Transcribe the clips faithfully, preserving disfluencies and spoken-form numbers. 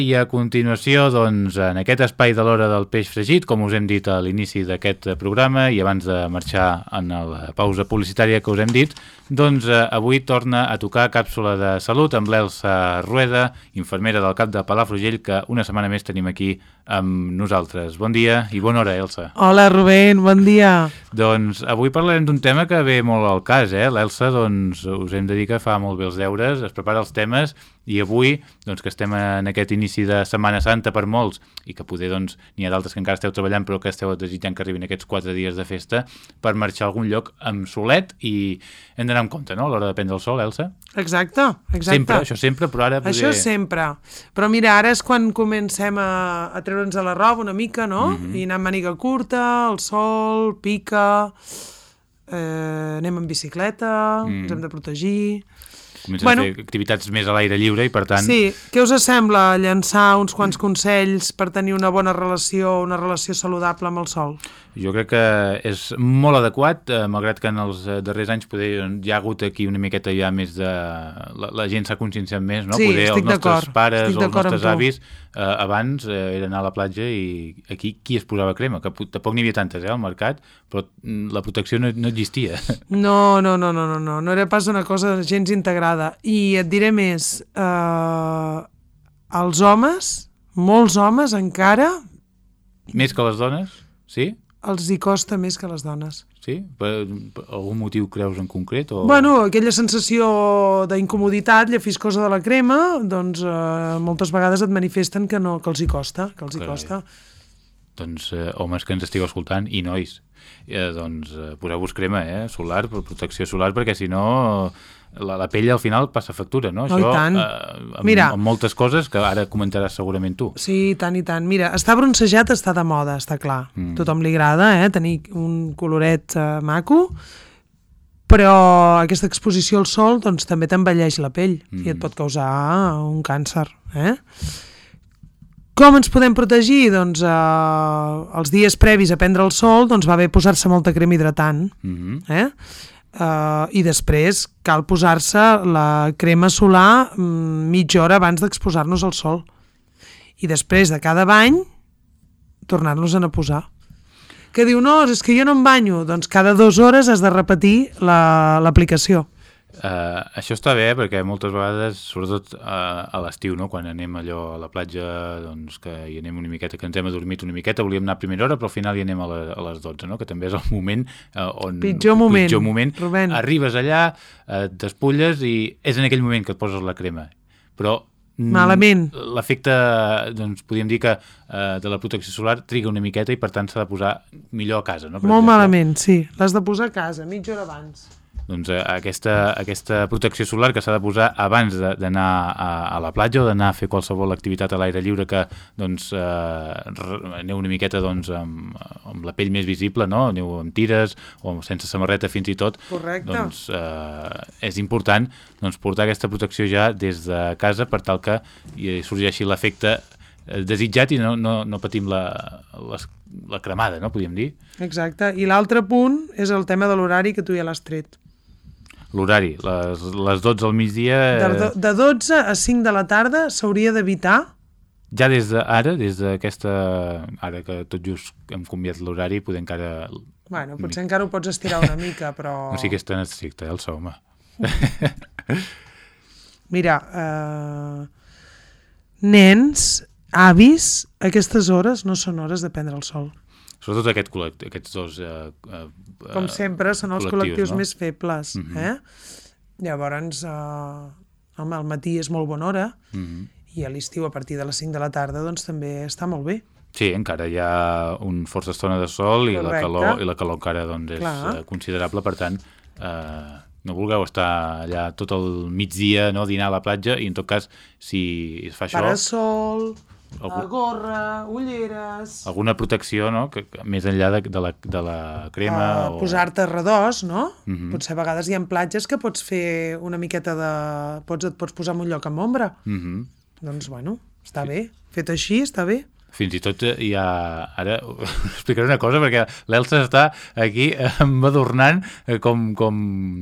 i a continuació, doncs, en aquest espai de l'hora del peix fregit, com us hem dit a l'inici d'aquest programa i abans de marxar en la pausa publicitària que us hem dit, doncs eh, avui torna a tocar Càpsula de Salut amb l'Elsa Rueda, infermera del CAP de Palafrugell, que una setmana més tenim aquí amb nosaltres. Bon dia i bona hora, Elsa. Hola, Rubén, bon dia. Doncs avui parlarem d'un tema que ve molt al cas, eh? L'Elsa, doncs, us hem de dir que fa molt bé els deures, es prepara els temes i avui, doncs, que estem en aquest inici de Setmana Santa per molts i que poder, doncs, n'hi ha d'altres que encara esteu treballant però que esteu desitjant que arribin aquests quatre dies de festa per marxar a algun lloc amb solet i hem d'anar amb compte, no?, a l'hora de prendre el sol, Elsa? Exacte, exacte. Sempre, això sempre, però ara... Poder... Això sempre. Però mira, ara és quan comencem a, a treure'ns a la roba una mica, no? Mm-hmm. I anar amb màniga curta, el sol, pica, eh, anem en bicicleta, mm. ens hem de protegir... Comencen bueno, a fer activitats més a l'aire lliure i per tant... Sí, què us sembla llançar uns quants consells per tenir una bona relació, una relació saludable amb el sol? Jo crec que és molt adequat, eh, malgrat que en els darrers anys poder, hi ha hagut aquí una miqueta ja més de... La, la gent s'ha conscienciat més, no? Sí, poder els nostres pares o els nostres avis eh, abans eh, era anar a la platja i aquí qui es posava crema? Que tampoc n'hi havia tantes eh, al mercat, però la protecció no, no existia. No, no, no, no, no, no, no era pas una cosa gens integrada. I et diré més, eh, els homes, molts homes encara... Més que les dones? Sí? Els hi costa més que les dones. Sí? Per, per algun motiu creus en concret? O... Bueno, aquella sensació d'incomoditat, llephiscosa de la crema, doncs eh, moltes vegades et manifesten que, no, que els hi costa, que els hi costa. Doncs eh, homes que ens estigueu escoltant i nois, eh, doncs eh, poseu-vos crema eh, solar, per protecció solar, perquè si no la, la pell al final passa factura, no? Oh, Això, i tant. Eh, amb, Mira, amb moltes coses que ara comentaràs segurament tu. Sí, tant i tant. Mira, estar bronzejat està de moda, està clar. Mm. Tothom li agrada, eh, tenir un coloret eh, maco, però aquesta exposició al sol doncs, també t'envelleix la pell mm. i et pot causar un càncer, eh? Com ens podem protegir? Doncs eh, els dies previs a prendre el sol doncs va bé posar-se molta crema hidratant, mm-hmm. eh? Uh, i després cal posar-se la crema solar mm, mitja hora abans d'exposar-nos al sol. I després de cada bany tornar-nos-en a posar. Que diu, no, és que jo no em banyo. Doncs cada dues hores has de repetir la, l'aplicació. Uh, això està bé perquè moltes vegades, sobretot uh, a l'estiu, no? Quan anem allò a la platja, doncs que hi anem una miqueta, que ens hem adormit una miqueta, volíem anar a primera hora, però al final hi anem a, la, a les dotze, no? Que també és el moment uh, on... Pitjor moment, pitjor moment. Rubén. Arribes allà, uh, t'espulles i és en aquell moment que et poses la crema. Però malament. L'efecte, doncs podríem dir que uh, de la protecció solar triga una miqueta i per tant s'ha de posar millor a casa, no? Per Molt exemple. malament, sí. L'has de posar a casa, mitja hora abans. Doncs aquesta, aquesta protecció solar que s'ha de posar abans d'anar a, a la platja o d'anar a fer qualsevol activitat a l'aire lliure que doncs, eh, aneu una miqueta doncs, amb, amb la pell més visible, no? Aneu amb tires o sense samarreta fins i tot. Correcte. Doncs eh, és important doncs, portar aquesta protecció ja des de casa per tal que sorgeixi l'efecte desitjat i no, no, no patim la, la, la cremada, no? Podríem dir. Exacte. I l'altre punt és el tema de l'horari que tu ja l'has tret. L'horari, les, les dotze al migdia... De, de dotze a cinc de la tarda s'hauria d'evitar... Ja des d'ara, des d'aquesta... Ara que tot just hem canviat l'horari, poder encara... Bueno, potser encara ho pots estirar una mica, però... No sí que és tan estricte, eh, el so, home. Mira, eh... nens, avis, aquestes hores no són hores de prendre el sol. Sobretot aquest col·lect, aquests dos... Eh, eh, Com sempre, són els col·lectius no? més febles. Mm-hmm. eh? Llavors, eh, home, al matí és molt bona hora mm-hmm. i a l'estiu, a partir de les cinc de la tarda, doncs també està molt bé. Sí, encara hi ha un força estona de sol i la calor, i la calor encara doncs, és Clar. considerable, per tant, eh, no vulgueu estar allà tot el migdia, no, dinar a la platja, i en tot cas, si es fa això... Parasol... Algun... gorra, ulleres... Alguna protecció, no?, que, que, més enllà de, de, la, de la crema... Uh, o... Posar-te redós, no? Uh-huh. Potser a vegades hi ha platges que pots fer una miqueta de... Pots, et pots posar en un lloc amb ombra. Uh-huh. Doncs, bueno, està sí. bé. Fet així, està bé. Fins i tot hi ha... Ara explicaré una cosa, perquè l'Elsa està aquí embadurnant, com, com,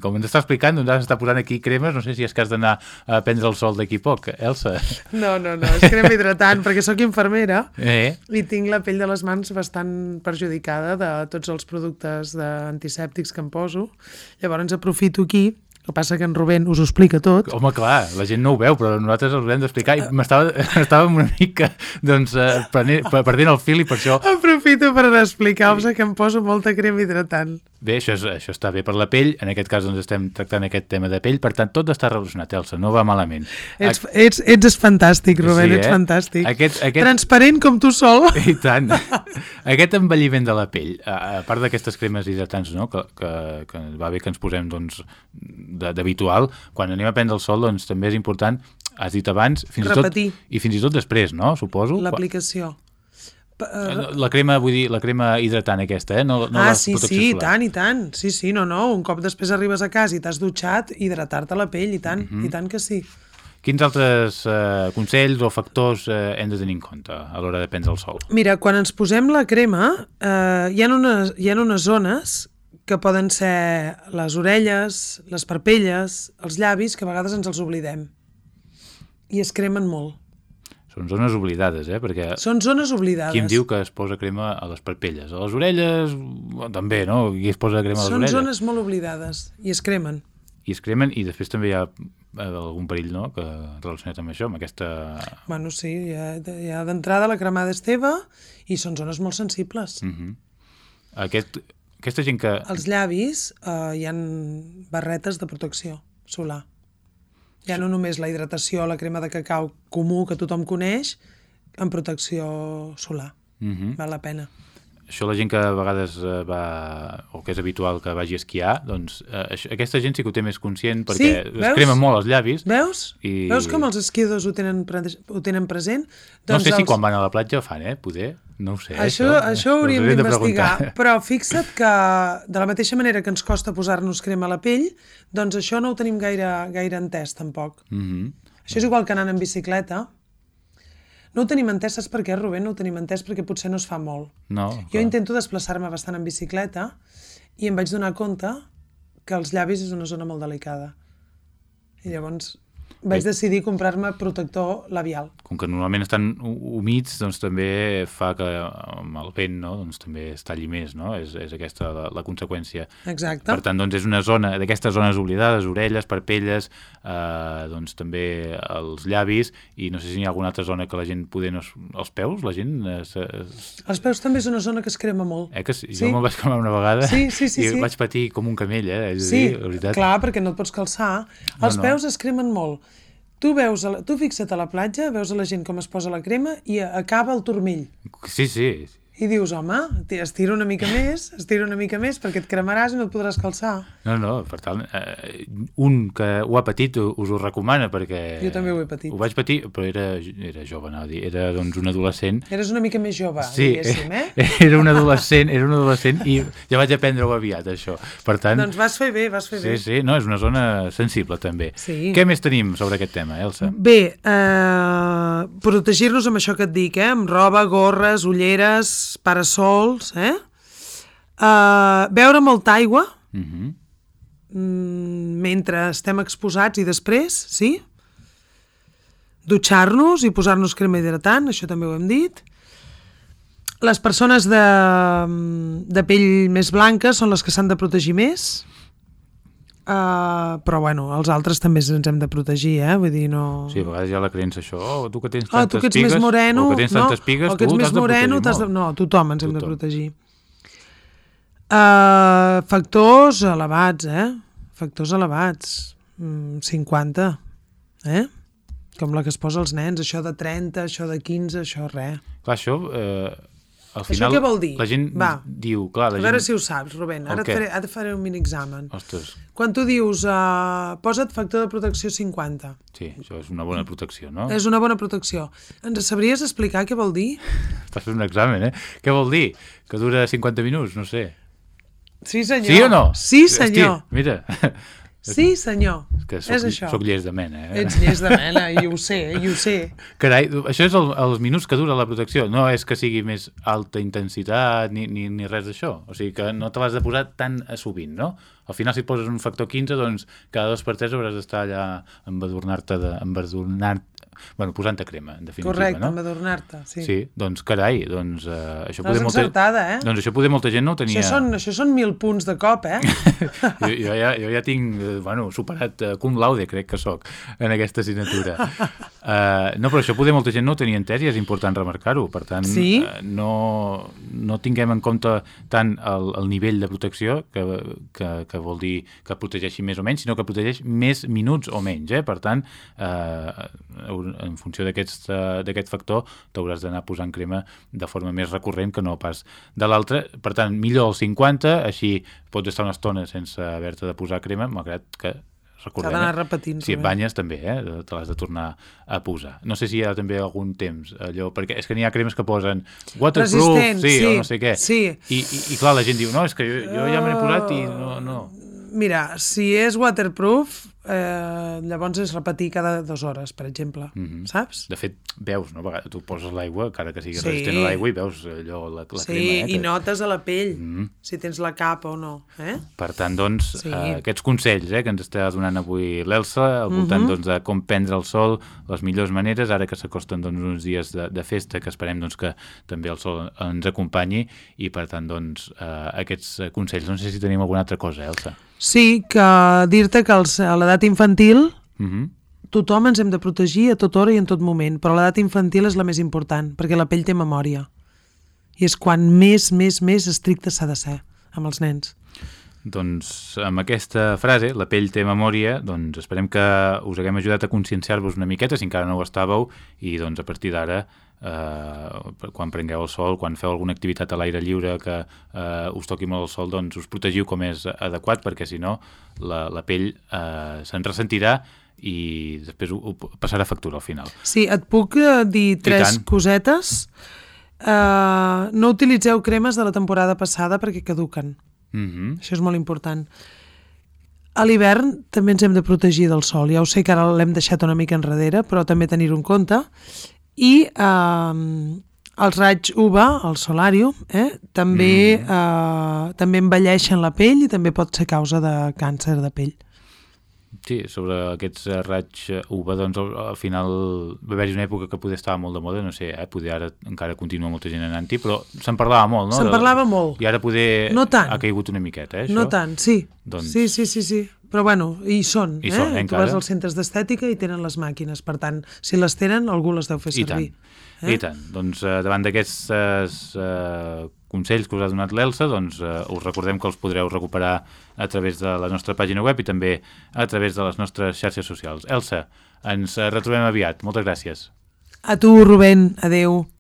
com ens està explicant, doncs ara s'està posant aquí cremes, no sé si és que has d'anar a prendre el sol d'aquí poc, Elsa. No, no, no, és crema hidratant, perquè sóc infermera eh? i tinc la pell de les mans bastant perjudicada de tots els productes antisèptics que em poso. Llavors aprofito aquí. El que passa que en Rubén us ho explica tot. Home, clar, la gent no ho veu, però nosaltres els hem d'explicar i m'estava estàvem una mica doncs, eh, prenent, perdent el fil i per això... Aprofito per explicar-vos que em poso molta crema hidratant. Bé, això, és, això està bé per la pell, en aquest cas doncs, estem tractant aquest tema de pell, per tant, tot està relacionat, Elsa, no va malament. Ets, ets, ets fantàstic, Rubén, sí, eh? ets fantàstic. Aquest, aquest... Transparent com tu sol. I tant. Aquest envelliment de la pell, a part d'aquestes cremes hidratants, no? que, que, que va bé que ens posem doncs, d'habitual, quan anem a prendre el sol doncs, també és important, has dit abans, fins repetir. I, tot, i fins i tot després, no? Suposo. L'aplicació. Uh, la crema, vull dir, la crema hidratant aquesta, eh? No, no ah, la sí, sí, i tant, i tant. Sí, sí, no, no. Un cop després arribes a casa i t'has dutxat, hidratar-te la pell, i tant, mm-hmm. i tant que sí. Quins altres uh, consells o factors uh, hem de tenir en compte a l'hora de prendre el sol? Mira, quan ens posem la crema, uh, hi ha unes, hi ha unes zones que poden ser les orelles, les parpelles, els llavis, que a vegades ens els oblidem. I es cremen molt. Són zones oblidades, eh? Perquè són zones oblidades. Qui em diu que es posa crema a les parpelles? A les orelles, també, no? Qui es posa crema a les són orelles? Són zones molt oblidades i es cremen. I es cremen i després també hi ha algun perill, no?, que relacionat amb això, amb aquesta... Bueno, sí, hi ha, hi ha d'entrada la cremada és teva i són zones molt sensibles. Uh-huh. Aquest, aquesta gent que... Els llavis eh, hi ha barretes de protecció solar. Ja no només la hidratació, la crema de cacau comú que tothom coneix, en protecció solar. Uh-huh. Val la pena. Això la gent que a vegades va, o que és habitual que vagi a esquiar, doncs eh, això, aquesta gent sí que ho té més conscient perquè sí, es cremen molt els llavis. Veus? I... Veus com els esquiadors ho tenen, pre ho tenen present? Doncs no sé els... si quan van a la platja ho fan, eh? Poder, no ho sé. Això, això, això ho hauríem d'investigar, però fixa't que de la mateixa manera que ens costa posar-nos crema a la pell, doncs això no ho tenim gaire, gaire entès tampoc. Mm-hmm. Això és igual que anant en bicicleta. No ho tenim entès, saps per què, Rubén? No ho tenim entès perquè potser no es fa molt. No, jo intento desplaçar-me bastant en bicicleta i em vaig donar compte que els llavis és una zona molt delicada. I llavors vaig Bé. decidir comprar-me protector labial. Com que normalment estan humits, doncs també fa que amb el vent, no?, doncs també es talli més, no? És, és aquesta la, la conseqüència. Exacte. Per tant, doncs és una zona d'aquestes zones oblidades, orelles, parpelles, eh, doncs també els llavis, i no sé si hi ha alguna altra zona que la gent poder no... Els peus, la gent... Es, es... Els peus també és una zona que es crema molt. Eh que sí? Jo sí? me'l vaig cremar una vegada sí, sí, sí, i sí. vaig patir com un camell, eh? És sí, dir, la veritat. Clar, perquè no et pots calçar. Els no, no. peus es cremen molt. Tu veus, a la, tu fixa't a la platja, veus a la gent com es posa la crema i acaba el turmell. Sí, sí. I dius, home, estira una mica més, estira una mica més, perquè et cremaràs i no et podràs calçar. No, no, per tant, eh, un que ho ha patit us ho recomana, perquè... Jo també ho he patit. Ho vaig patir, però era, era jove, no? Era doncs un adolescent. Eres una mica més jove, sí, diguéssim, eh? Era un adolescent, era un adolescent i ja vaig aprendre-ho aviat, això. Per tant... Doncs vas fer bé, vas fer sí, bé. Sí, sí, no, és una zona sensible, també. Sí. Què més tenim sobre aquest tema, Elsa? Bé, eh, protegir-nos amb això que et dic, eh? Amb roba, gorres, ulleres, parasols, eh? Uh, beure molta aigua uh-huh. mm, mentre estem exposats i després, sí? Dutxar-nos i posar-nos crema hidratant, això també ho hem dit. Les persones de, de pell més blanca són les que s'han de protegir més. Uh, però bueno, els altres també ens hem de protegir, eh? Vull dir, no... Sí, a vegades hi ha la creença això, oh, tu que tens oh, tantes tu que ets pigues, més moreno, o que tens no, tantes pigues, o que ets tu més t'has de moreno, protegir de... No, tothom ens tothom. hem de protegir. Uh, factors elevats, eh? Factors elevats. Mm, cinquanta, eh? Com la que es posa als nens, això de trenta, això de quinze, això res. Clar, això... Eh... Al final, això què vol dir? La gent Va. diu... Clar, la a veure gent... si ho saps, Rubén. Ara et faré, ara et faré un mini-examen. Ostres. Quan tu dius uh, posa't factor de protecció cinquanta. Sí, això és una bona protecció, no? És una bona protecció. Ens sabries explicar què vol dir? Estàs fent un examen, eh? Què vol dir? Que dura cinquanta minuts? No sé. Sí, senyor. Sí o no? Sí, senyor. Hosti, mira... Sí, senyor. Que soc, és això. Soc llest de mena, eh? Ets llest de mena, i ho sé, i ho sé. Carai, això és el, els minuts que dura la protecció. No és que sigui més alta intensitat ni, ni, ni res d'això. O sigui que no te l'has de posar tan sovint, no? Al final, si et poses un factor quinze, doncs cada dos per tres hauràs d'estar allà embadurnar-te, de, embadurnar bueno, posant-te crema, en definitiva, Correcte, no? embadurnar-te, sí. Sí, doncs carai, doncs uh, això L'has poder molta... encertada, eh? Doncs això poder molta gent no ho tenia... Això són, això són mil punts de cop, eh? jo, jo, ja, jo ja tinc, bueno, superat uh, cum laude, crec que sóc, en aquesta assignatura. Uh, no, però això poder molta gent no ho tenia entès i és important remarcar-ho. Per tant, sí? uh, no, no tinguem en compte tant el, el nivell de protecció, que, que, que vol dir que protegeixi més o menys, sinó que protegeix més minuts o menys, eh? Per tant, uh, en funció d'aquest uh, factor t'hauràs d'anar posant crema de forma més recurrent que no pas de l'altra. Per tant, millor el cinquanta, així pots estar una estona sense haver-te de posar crema, malgrat que recordem, s'ha d'anar repetint. Si et banyes també, eh? Te l'has de tornar a posar. No sé si hi ha també algun temps, allò, perquè és que n'hi ha cremes que posen waterproof, resistent, sí, sí, o no sé què. Sí. I, i, I clar, la gent diu, no, és que jo, jo ja me n'he posat i no... no. Mira, si és waterproof, eh, llavors és repetir cada dues hores, per exemple, mm-hmm. saps? De fet, veus, no? Tu poses l'aigua, encara que sigui sí. resistent a l'aigua, i veus allò, la, la sí, crema. Sí, eh, i que... notes a la pell, mm-hmm. si tens la capa o no. Eh? Per tant, doncs, sí. eh, aquests consells eh, que ens està donant avui l'Elsa, al voltant mm-hmm. doncs, de com prendre el sol, les millors maneres, ara que s'acosten doncs, uns dies de, de festa, que esperem doncs, que també el sol ens acompanyi, i per tant, doncs, eh, aquests consells. No sé si tenim alguna altra cosa, Elsa. Sí, que dir-te que els, a l'edat infantil mm-hmm. tothom ens hem de protegir a tota hora i en tot moment, però l'edat infantil és la més important, perquè la pell té memòria. I és quan més, més, més estricte s'ha de ser amb els nens. Doncs amb aquesta frase, la pell té memòria, doncs esperem que us haguem ajudat a conscienciar-vos una miqueta, si encara no ho estàveu, i doncs a partir d'ara, eh, quan prengueu el sol, quan feu alguna activitat a l'aire lliure que eh, us toqui molt el sol, doncs us protegiu com és adequat, perquè si no la, la pell eh, se'n ressentirà i després ho, ho passarà factura al final. Sí, et puc eh, dir tres cosetes. Uh, no utilitzeu cremes de la temporada passada perquè caduquen. Mm-hmm. Això és molt important. A l'hivern també ens hem de protegir del sol. Ja ho sé que ara l'hem deixat una mica enrere, però també tenir-ho en compte. I eh, els raigs U V A, el solàrium, eh, també, mm. eh, també envelleixen la pell i també pot ser causa de càncer de pell. Sí, sobre aquests raigs U V A, doncs al, al final va haver-hi una època que poder estava molt de moda, no sé, eh, poder ara encara continua molta gent anant-hi, però se'n parlava molt, no? Se'n parlava molt. I ara poder no tant. ha caigut una miqueta, eh, això? No tant, sí. Doncs... Sí, sí, sí, sí. Però bueno, hi són, hi eh? són, eh? Tu vas als centres d'estètica i tenen les màquines, per tant, si les tenen, algú les deu fer servir. I tant, eh? I tant. Doncs eh, davant d'aquests eh, consells que us ha donat l'Elsa, doncs eh, us recordem que els podreu recuperar a través de la nostra pàgina web i també a través de les nostres xarxes socials. Elsa, ens retrobem aviat. Moltes gràcies. A tu, Rubén. Adéu.